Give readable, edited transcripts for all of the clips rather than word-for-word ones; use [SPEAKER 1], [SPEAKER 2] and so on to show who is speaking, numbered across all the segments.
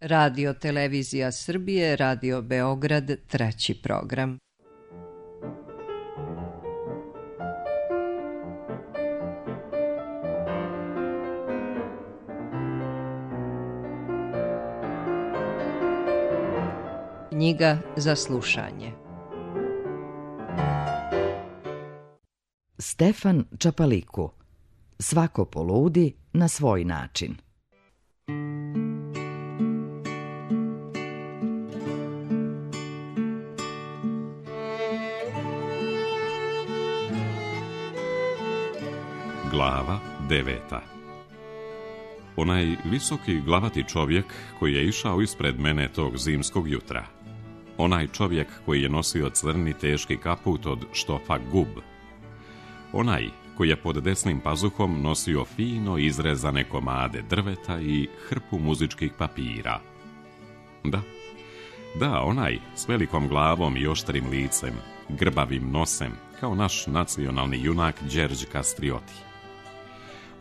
[SPEAKER 1] Radio Televizija Srbije, Radio Beograd, 3. program. Knjiga za slušanje.
[SPEAKER 2] Stefan Čapaliku. Svako poludi na svoj način.
[SPEAKER 3] Glava 9. Onaj visoki glavati čovjek koji je išao ispred mene tog zimskog jutra. Onaj čovjek koji je nosio crni teški kaput od štofa gub. Onaj koji je pod desnim pazuhom nosio fino izrezane komade drveta i hrpu muzičkih papira. Da, onaj s velikom glavom i oštrim licem, grbavim nosem, kao naš nacionalni junak Đerđ Kastrioti.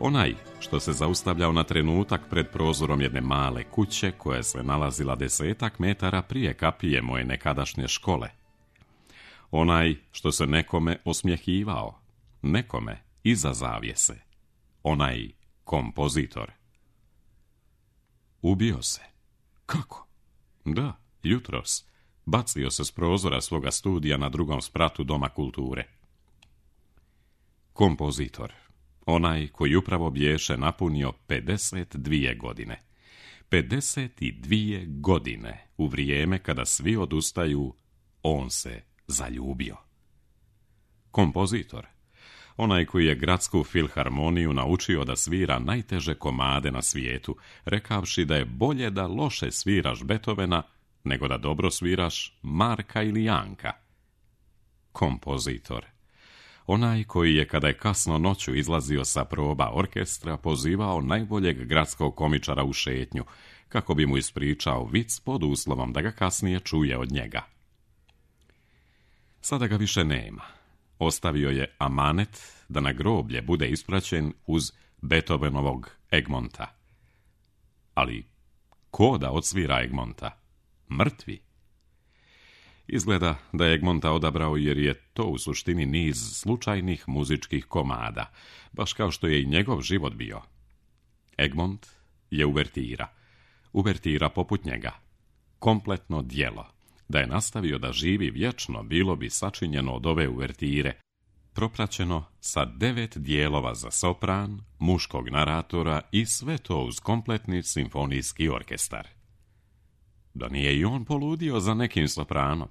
[SPEAKER 3] Onaj što se zaustavljao na trenutak pred prozorom jedne male kuće koja se nalazila 10 metara prije kapije moje nekadašnje škole. Onaj što se nekome osmjehivao, nekome iza zavjese. Onaj kompozitor. Ubio se. Kako? Da, jutros. Bacio se s prozora svoga studija na drugom spratu Doma kulture. Kompozitor. Onaj koji upravo bješe napunio 52 godine. 52 godine u vrijeme kada svi odustaju, on se zaljubio. Kompozitor. Onaj koji je gradsku filharmoniju naučio da svira najteže komade na svijetu, rekavši da je bolje da loše sviraš Beethovena, nego da dobro sviraš Marka ili Janka. Kompozitor. Onaj koji je, kada je kasno noću izlazio sa proba orkestra, pozivao najboljeg gradskog komičara u šetnju, kako bi mu ispričao vic pod uslovom da ga kasnije čuje od njega. Sada ga više nema. Ostavio je amanet da na groblje bude ispraćen uz Beethovenovog Egmonta. Ali ko da odsvira Egmonta? Mrtvi. Izgleda da je Egmonta odabrao jer je to u suštini niz slučajnih muzičkih komada, baš kao što je i njegov život bio. Egmont je uvertira. Uvertira poput njega. Kompletno djelo. Da je nastavio da živi vječno, bilo bi sačinjeno od ove uvertire, propraćeno sa 9 dijelova za sopran, muškog naratora i sve to uz kompletni simfonijski orkestar. Da nije i on poludio za nekim sopranom.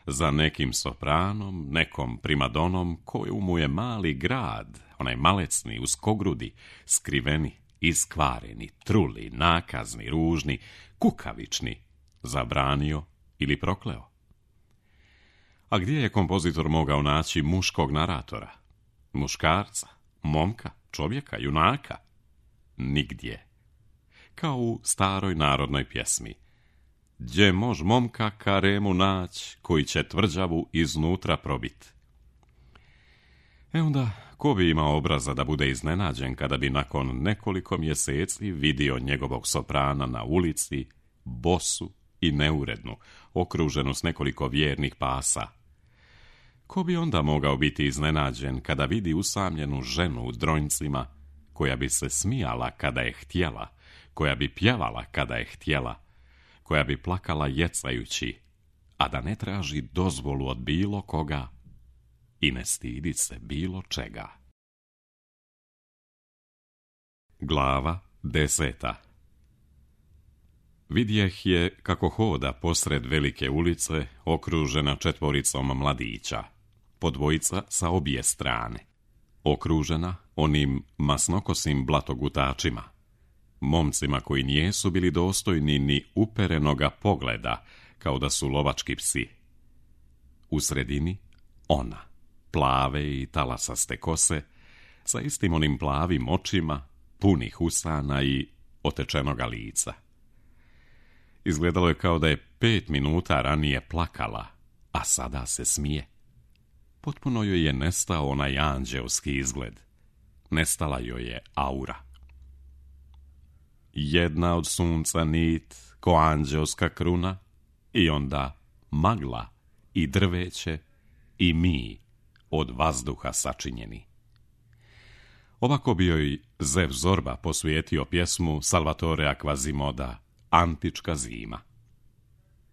[SPEAKER 3] Za nekim sopranom, nekom primadonom koju mu je mali grad, onaj malecni, uskogrudi, skriveni, iskvareni, truli, nakazni, ružni, kukavični, zabranio ili prokleo. A gdje je kompozitor mogao naći muškog naratora? Muškarca, momka, čovjeka, junaka? Nigdje. Kao u staroj narodnoj pjesmi. Gdje mož momka karemu nać, koji će tvrđavu iznutra probit. Onda, ko bi imao obraza da bude iznenađen kada bi nakon nekoliko mjeseci vidio njegovog soprana na ulici, bosu i neurednu, okruženu s nekoliko vjernih pasa? Ko bi onda mogao biti iznenađen kada vidi usamljenu ženu u dronjcima, koja bi se smijala kada je htjela, koja bi pjevala kada je htjela, koja bi plakala jecajući, a da ne traži dozvolu od bilo koga i ne stidi se bilo čega. Glava 10. Vidjeh je kako hoda posred velike ulice, okružena 4 mladića, po 2 sa obje strane, okružena onim masnokosim blatogutačima, momcima koji nijesu bili dostojni ni uperenoga pogleda, kao da su lovački psi. U sredini ona, plave i talasaste kose, sa istim onim plavim očima, punih usana i otečenoga lica. Izgledalo je kao da je 5 minuta ranije plakala, a sada se smije. Potpuno joj je nestao onaj anđeoski izgled. Nestala joj je aura. jedna od sunca nit ko anđelska kruna i onda magla i drveće i mi od vazduha sačinjeni. Ovako bi joj Zev Zorba posvijetio pjesmu Salvatorea Quasimoda Antička zima.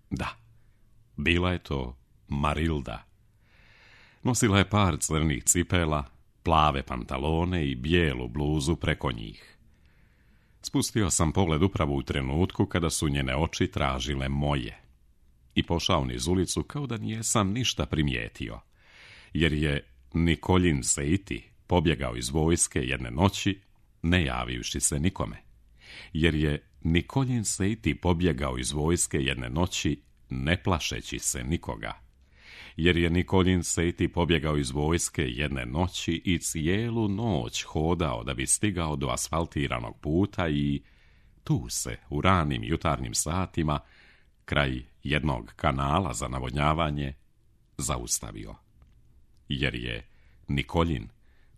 [SPEAKER 3] Da, bila je to Marilda. Nosila je par crnih cipela, plave pantalone i bijelu bluzu preko njih. Spustio sam pogled upravo u trenutku kada su njene oči tražile moje i pošao niz ulicu kao da nijesam ništa primijetio, jer je Nikoljin Seiti pobjegao iz vojske jedne noći, ne javivši se nikome. Jer je Nikoljin Seiti pobjegao iz vojske jedne noći, ne plašeći se nikoga. Jer je Nikoljin Seiti pobjegao iz vojske jedne noći i cijelu noć hodao da bi stigao do asfaltiranog puta i tu se u ranim jutarnjim satima, kraj jednog kanala za navodnjavanje, zaustavio. Jer je Nikoljin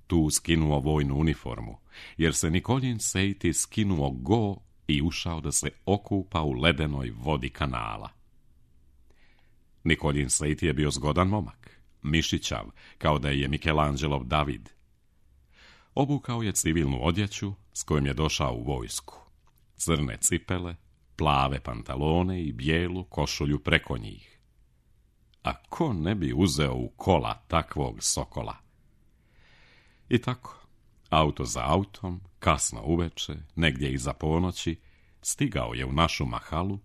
[SPEAKER 3] tu skinuo vojnu uniformu, jer se Nikoljin Seiti skinuo go i ušao da se okupa u ledenoj vodi kanala. Nikoljin Seiti je bio zgodan momak, mišićav, kao da je Mikelanđelov David. Obukao je civilnu odjeću s kojom je došao u vojsku. Crne cipele, plave pantalone i bijelu košulju preko njih. A ko ne bi uzeo u kola takvog sokola? I tako, auto za autom, kasno uveče, negdje iza ponoći, stigao je u našu mahalu,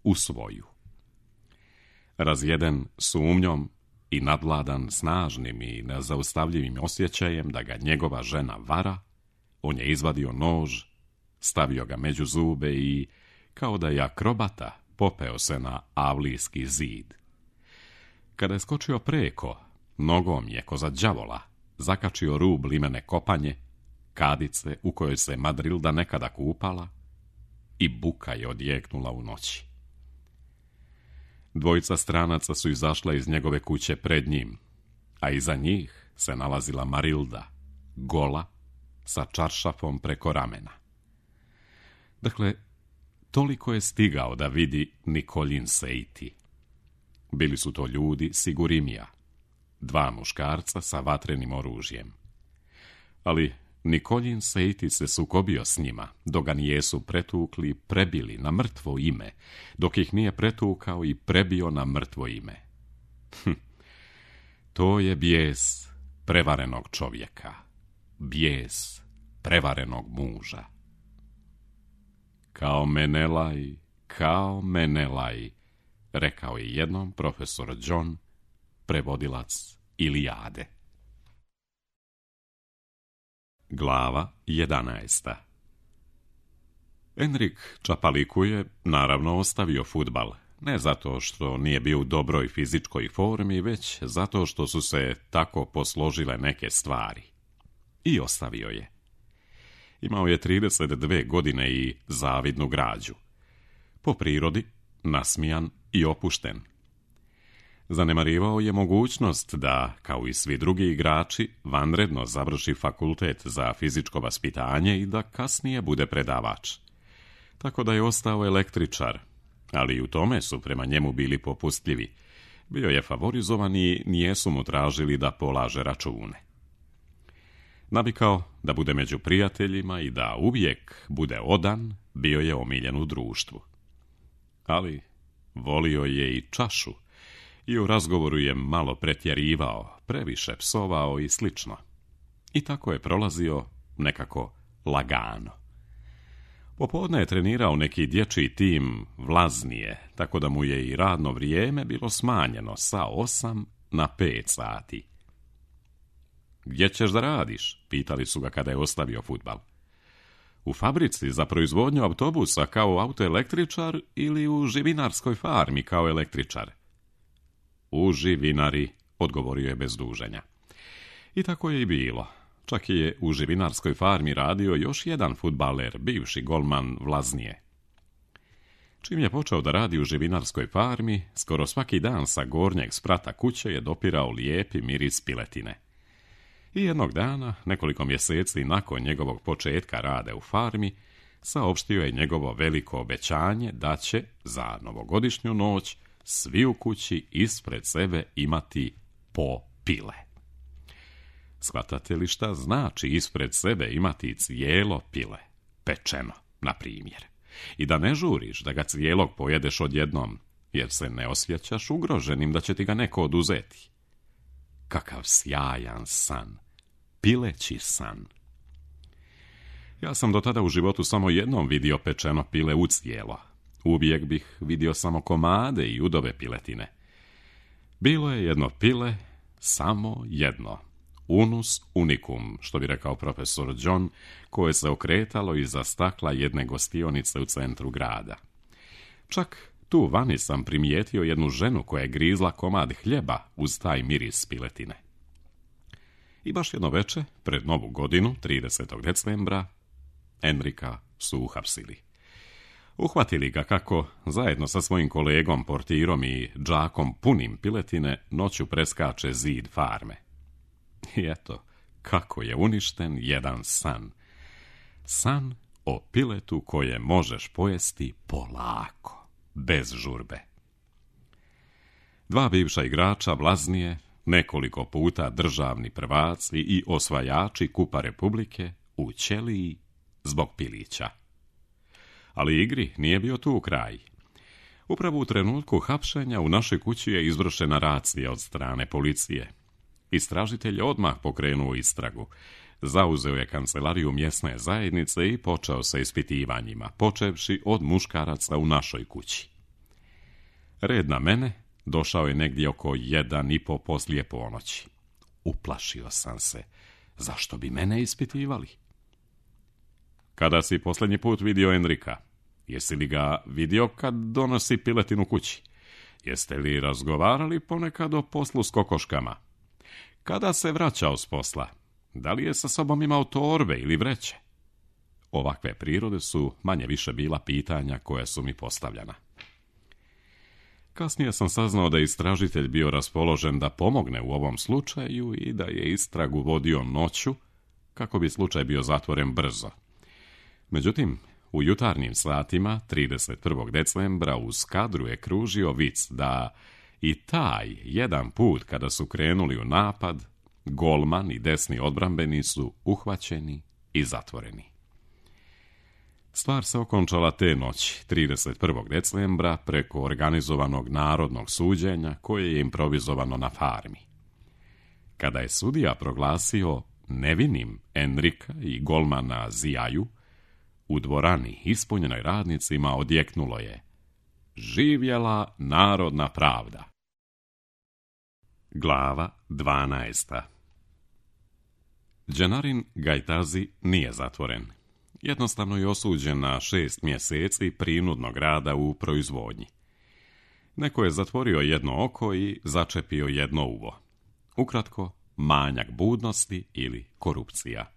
[SPEAKER 3] u svoju. Razjeden sumnjom i nadvladan snažnim i nezaustavljivim osjećajem da ga njegova žena vara, on je izvadio nož, stavio ga među zube i, kao da je akrobata, popeo se na avlijski zid. Kada je skočio preko, nogom je ko za đavola zakačio rub limene kopanje, kadice u kojoj se Madrilda nekada kupala, i buka je odjeknula u noći. Dvojica stranaca su izašla iz njegove kuće pred njim, a iza njih se nalazila Marilda, gola, sa čaršafom preko ramena. Dakle, toliko je stigao da vidi Nikoljin Seiti. Bili su to ljudi Sigurimija, dva muškarca sa vatrenim oružjem. Ali Nikoljin Seiti se sukobio s njima, dok ga nijesu pretukli, prebili na mrtvo ime, dok ih nije pretukao i prebio na mrtvo ime. To je bijes prevarenog čovjeka, bijes prevarenog muža. Kao Menelaj, rekao je jednom profesor John, prevodilac Ilijade. Glava 11. Enrik Čapaliku je, naravno, ostavio fudbal, ne zato što nije bio u dobroj fizičkoj formi, već zato što su se tako posložile neke stvari. I ostavio je. Imao je 32 godine i zavidnu građu. Po prirodi, nasmijan i opušten. Zanemarivao je mogućnost da, kao i svi drugi igrači, vanredno završi fakultet za fizičko vaspitanje i da kasnije bude predavač. Tako da je ostao električar, ali i u tome su prema njemu bili popustljivi. Bio je favorizovan i nijesu mu tražili da polaže račune. Navikao da bude među prijateljima i da uvijek bude odan, bio je omiljen u društvu. Ali volio je i čašu i u razgovoru je malo pretjerivao, previše psovao i slično. I tako je prolazio nekako lagano. Popodne je trenirao neki dječji tim Vlaznije, tako da mu je i radno vrijeme bilo smanjeno sa 8 na 5 sati. Gdje ćeš da radiš? Pitali su ga kada je ostavio fudbal. U fabrici za proizvodnju autobusa kao autoelektričar ili u živinarskoj farmi kao električar? U živinari, odgovorio je bez duženja. I tako je i bilo. Čak je u živinarskoj farmi radio još jedan fudbaler, bivši golman Vlaznije. Čim je počeo da radi u živinarskoj farmi, skoro svaki dan sa gornjeg sprata kuće je dopirao lijepi miris piletine. I jednog dana, nekoliko mjeseci nakon njegovog početka rada u farmi, saopštio je njegovo veliko obećanje da će za novogodišnju noć svi u kući ispred sebe imati po pile. Shvatate li šta znači ispred sebe imati cijelo pile, pečeno, na primjer, i da ne žuriš da ga cijelog pojedeš odjednom, jer se ne osjećaš ugroženim da će ti ga neko oduzeti. Kakav sjajan san, pileći san. Ja sam do tada u životu samo jednom vidio pečeno pile u cijelo. Uvijek bih vidio samo komade i udove piletine. Bilo je jedno pile, samo jedno. Unus unicum, što bi rekao profesor John, koje se okretalo iza stakla jedne gostionice u centru grada. Čak tu vani sam primijetio jednu ženu koja je grizla komad hljeba uz taj miris piletine. I baš jedno veče, pred Novu godinu, 30. decembra, Enrika su uhapsili. Uhvatili ga kako, zajedno sa svojim kolegom, portirom i džakom punim piletine, noću preskače zid farme. I eto, kako je uništen jedan san. San o piletu koje možeš pojesti polako, bez žurbe. Dva bivša igrača, blaznije, nekoliko puta državni prvaci i osvajači Kupa Republike, u ćeliji zbog pilića. Ali igri nije bio tu kraj. Upravo u trenutku hapšenja u našoj kući je izvršena racija od strane policije. Istražitelj odmah pokrenuo istragu. Zauzeo je kancelariju mjesne zajednice i počeo sa ispitivanjima, počevši od muškaraca u našoj kući. Red na mene došao je negdje oko 1:30 poslije ponoći. Uplašio sam se. Zašto bi mene ispitivali? Kada si posljednji put vidio Enrika? Jesi li ga vidio kad donosi piletinu kući? Jeste li razgovarali ponekad o poslu s kokoškama? Kada se vraćao s posla? Da li je sa sobom imao torbe ili vreće? Ovakve prirode su manje više bila pitanja koja su mi postavljena. Kasnije sam saznao da je istražitelj bio raspoložen da pomogne u ovom slučaju i da je istragu vodio noću kako bi slučaj bio zatvoren brzo. Međutim, u jutarnjim satima 31. decembra uz kadru je kružio vic da i taj jedan put kada su krenuli u napad, golman i desni odbrambeni su uhvaćeni i zatvoreni. Stvar se okončala te noći, 31. decembra, preko organizovanog narodnog suđenja koje je improvizovano na farmi. Kada je sudija proglasio nevinim Enrika i golmana Zijaju, u dvorani ispunjenoj radnicima odjeknulo je: živjela narodna pravda. Glava 12. Dženarin Gajtazi nije zatvoren. Jednostavno je osuđen na 6 mjeseci prinudnog rada u proizvodnji. Neko je zatvorio jedno oko i začepio jedno uvo. Ukratko, manjak budnosti ili korupcija.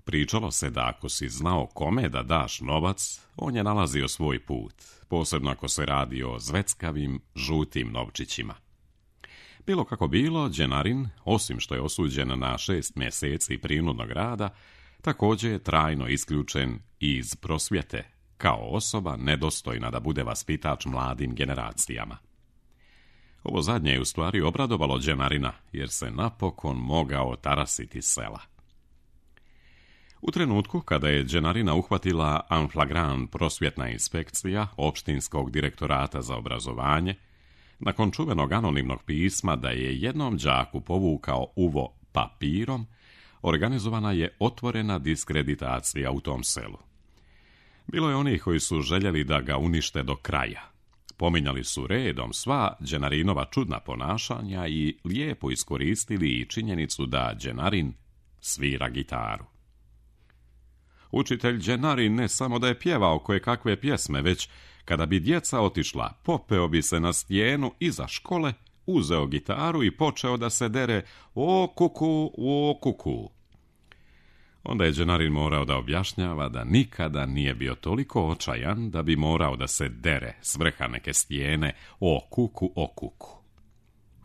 [SPEAKER 3] Pričalo se da ako si znao kome da daš novac, on je nalazio svoj put, posebno ako se radi o zveckavim, žutim novčićima. Bilo kako bilo, Dženarin, osim što je osuđen na 6 mjeseci prinudnog rada, također je trajno isključen iz prosvjete, kao osoba nedostojna da bude vaspitač mladim generacijama. Ovo zadnje je u stvari obradovalo Dženarina, jer se napokon mogao tarasiti sela. U trenutku kada je Dženarina uhvatila en flagrant prosvjetna inspekcija opštinskog direktorata za obrazovanje, nakon čuvenog anonimnog pisma da je jednom đaku povukao uvo papirom, organizovana je otvorena diskreditacija u tom selu. Bilo je onih koji su željeli da ga unište do kraja. Pominjali su redom sva Dženarinova čudna ponašanja i lijepo iskoristili i činjenicu da Dženarin svira gitaru. Učitelj Dženarin ne samo da je pjevao koje kakve pjesme, već kada bi djeca otišla, popeo bi se na stijenu iza škole, uzeo gitaru i počeo da se dere o kuku. Onda je Dženarin morao da objašnjava da nikada nije bio toliko očajan da bi morao da se dere s vrha neke stijene o kuku.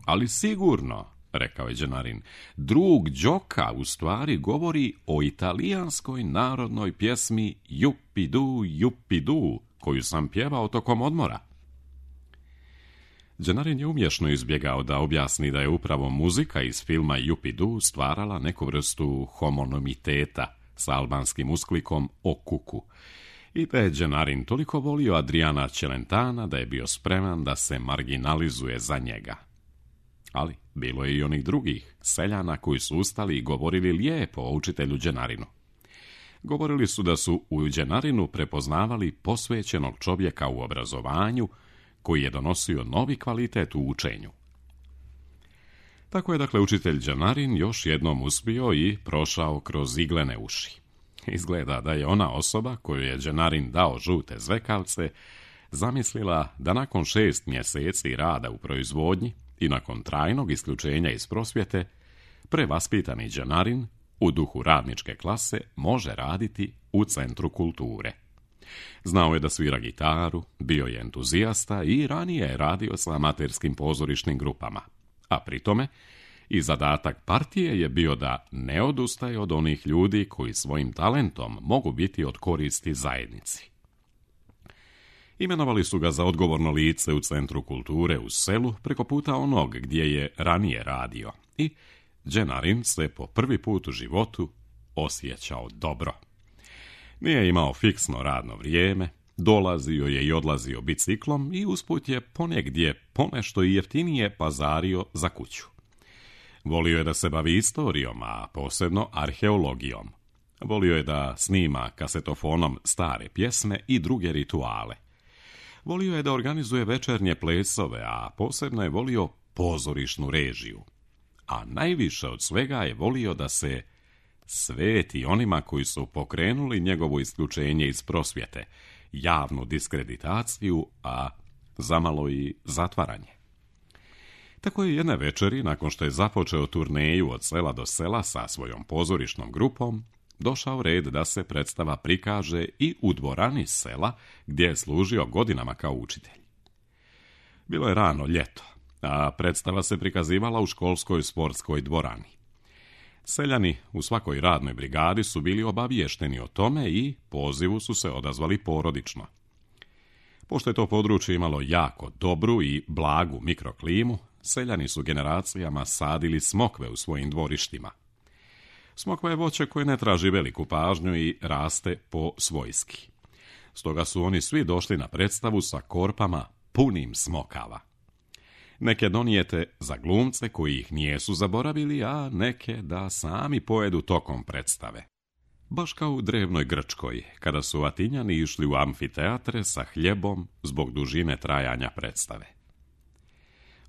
[SPEAKER 3] Ali sigurno rekao je Đenarin. Drug Đoka u stvari govori o italijanskoj narodnoj pjesmi Jupidu, koju sam pjevao tokom odmora. Đenarin je umješno izbjegao da objasni da je upravo muzika iz filma Jupidu stvarala neku vrstu homonotiteta sa albanskim usklikom o kuku. I da je Đenarin toliko volio Adriana Celentana da je bio spreman da se marginalizuje za njega. Ali bilo je i onih drugih seljana koji su ustali i govorili lijepo o učitelju Đenarinu. Govorili su da su u Đenarinu prepoznavali posvećenog čovjeka u obrazovanju koji je donosio novi kvalitet u učenju. Tako je dakle učitelj Đenarin još jednom uspio i prošao kroz iglene uši. Izgleda da je ona osoba koju je Đenarin dao žute zvekavce zamislila da nakon 6 mjeseci rada u proizvodnji i nakon trajnog isključenja iz prosvjete, prevaspitani Đenarin u duhu radničke klase može raditi u Centru kulture. Znao je da svira gitaru, bio je entuzijasta i ranije je radio sa amaterskim pozorišnim grupama, a pri tome i zadatak partije je bio da ne odustaje od onih ljudi koji svojim talentom mogu biti od koristi zajednici. Imenovali su ga za odgovorno lice u Centru kulture u selu preko puta onog gdje je ranije radio i Đenarin se po prvi put u životu osjećao dobro. Nije imao fiksno radno vrijeme, dolazio je i odlazio biciklom i usput je ponegdje ponešto i jeftinije pazario za kuću. Volio je da se bavi istorijom, a posebno arheologijom. Volio je da snima kasetofonom stare pjesme i druge rituale. Volio je da organizuje večernje plesove, a posebno je volio pozorišnu režiju. A najviše od svega je volio da se sveti onima koji su pokrenuli njegovo isključenje iz prosvjete, javnu diskreditaciju, a zamalo i zatvaranje. Tako je jedne večeri, nakon što je započeo turneju od sela do sela sa svojom pozorišnom grupom, došao red da se predstava prikaže i u dvorani sela gdje je služio godinama kao učitelj. Bilo je rano ljeto, a predstava se prikazivala u školskoj sportskoj dvorani. Seljani u svakoj radnoj brigadi su bili obaviješteni o tome i pozivu su se odazvali porodično. Pošto je to područje imalo jako dobru i blagu mikroklimu, seljani su generacijama sadili smokve u svojim dvorištima. Smokva je voće koje ne traži veliku pažnju i raste po svojski. Stoga su oni svi došli na predstavu sa korpama punim smokava. Neke donijete za glumce koji ih nijesu zaboravili, a neke da sami pojedu tokom predstave. Baš kao u drevnoj Grčkoj, kada su Atinjani išli u amfiteatre sa hljebom zbog dužine trajanja predstave.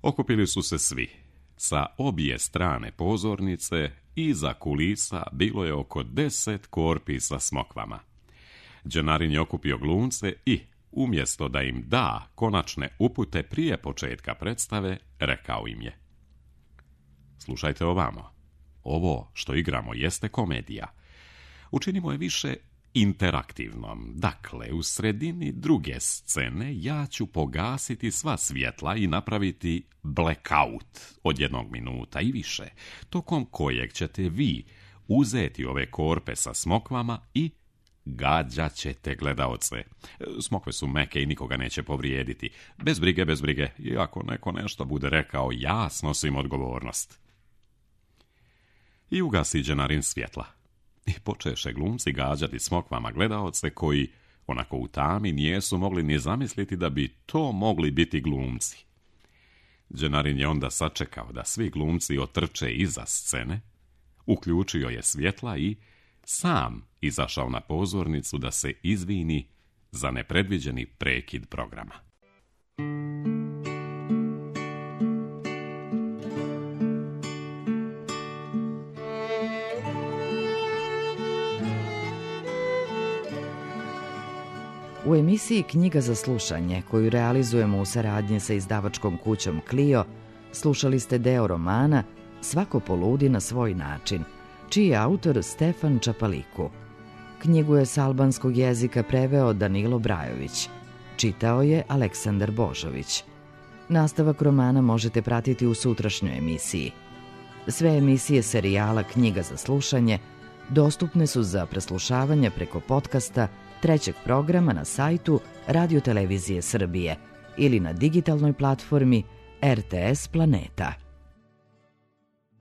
[SPEAKER 3] Okupili su se svi. Sa obje strane pozornice iza kulisa bilo je oko 10 korpi sa smokvama. Đenarin je okupio glumce i, umjesto da im da konačne upute prije početka predstave, rekao im je: slušajte ovamo, ovo što igramo jeste komedija. Učinimo je više interaktivnom. Dakle, u sredini druge scene ja ću pogasiti sva svjetla i napraviti blackout od 1 minuta i više, tokom kojeg ćete vi uzeti ove korpe sa smokvama i gađat ćete gledaoce. Smokve su meke i nikoga neće povrijediti. Bez brige, i ako neko nešto bude rekao, ja snosim odgovornost. I ugasi Đenarin svjetla. I počeše glumci gađati smokvama gledaoce koji, onako u tami, nijesu mogli ni zamisliti da bi to mogli biti glumci. Đenarin je onda sačekao da svi glumci otrče iza scene, uključio je svjetla i sam izašao na pozornicu da se izvini za nepredviđeni prekid programa.
[SPEAKER 2] U emisiji Knjiga za slušanje, koju realizujemo u saradnji sa izdavačkom kućom Clio, slušali ste deo romana Svako poludi na svoj način, čiji je autor Stefan Čapaliku. Knjigu je s albanskog jezika preveo Danilo Brajović. Čitao je Aleksandar Božović. Nastavak romana možete pratiti u sutrašnjoj emisiji. Sve emisije serijala Knjiga za slušanje dostupne su za preslušavanje preko podcasta trećeg programa na sajtu Radio Televizije Srbije ili na digitalnoj platformi RTS Planeta.